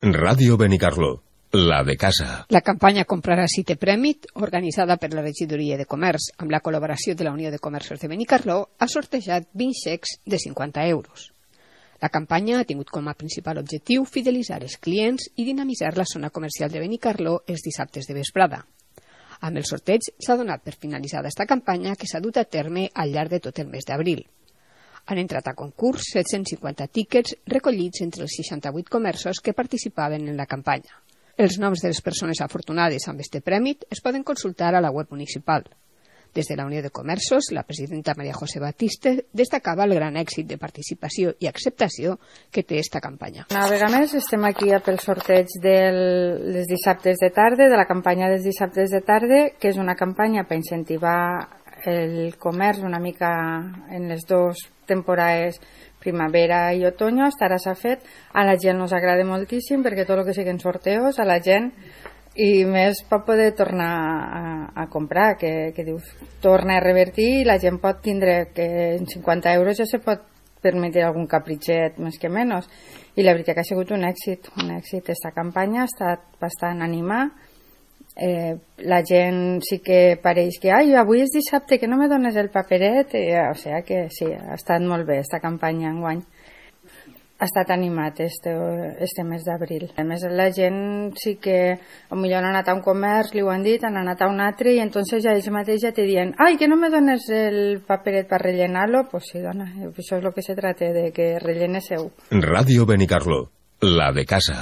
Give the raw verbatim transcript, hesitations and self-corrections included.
Ràdio Benicarló, la de casa. La campanya Comprarà si té prèmit, organitzada per la Regidoria de Comerç amb la col·laboració de la Unió de Comerços de Benicarló, ha sortejat vint xecs de cinquanta euros. La campanya ha tingut com a principal objectiu fidelitzar els clients i dinamitzar la zona comercial de Benicarló els dissabtes de vesprada. Amb el sorteig s'ha donat per finalitzada esta campanya, que s'ha dut a terme al llarg de tot el mes d'abril. Han entrat a concurs set-cents cinquanta tíquets recollits entre els seixanta-vuit comerços que participaven en la campanya. Els noms de les persones afortunades amb este prèmit es poden consultar a la web municipal. Des de la Unió de Comerços, la presidenta Maria José Batiste destacava el gran èxit de participació i acceptació que té esta campanya. Una vegada més estem aquí pel sorteig dels dissabtes de tarda, de la campanya dels dissabtes de tarda, que és una campanya per incentivar el comerç una mica en les dues temporades, primavera i otoño. Estarà s'ha fet, a la gent ens agrada moltíssim perquè tot el que siguin sorteos a la gent i més pot poder tornar a, a comprar, que, que dius, torna a revertir i la gent pot tindre que en cinquanta euros ja se pot permetre algun capritxet més que menys, i la veritat que ha sigut un èxit, un èxit. Esta campanya ha estat bastant animada. Eh, la gent sí que pareix que ai, avui és dissabte, que no me dones el paperet, eh, o sigui que sí, ha estat molt bé esta campanya enguany. Ha estat animat este, este mes d'abril. A més, la gent sí que potser han anat a un comerç, li ho han dit, han anat a un altre i entonces ja ells mateix ja te diuen ai, que no me dones el paperet per rellenar-lo. Pues sí, dona, això és el que se trata, de que rellenéseu. Ràdio Benicarló, la de casa.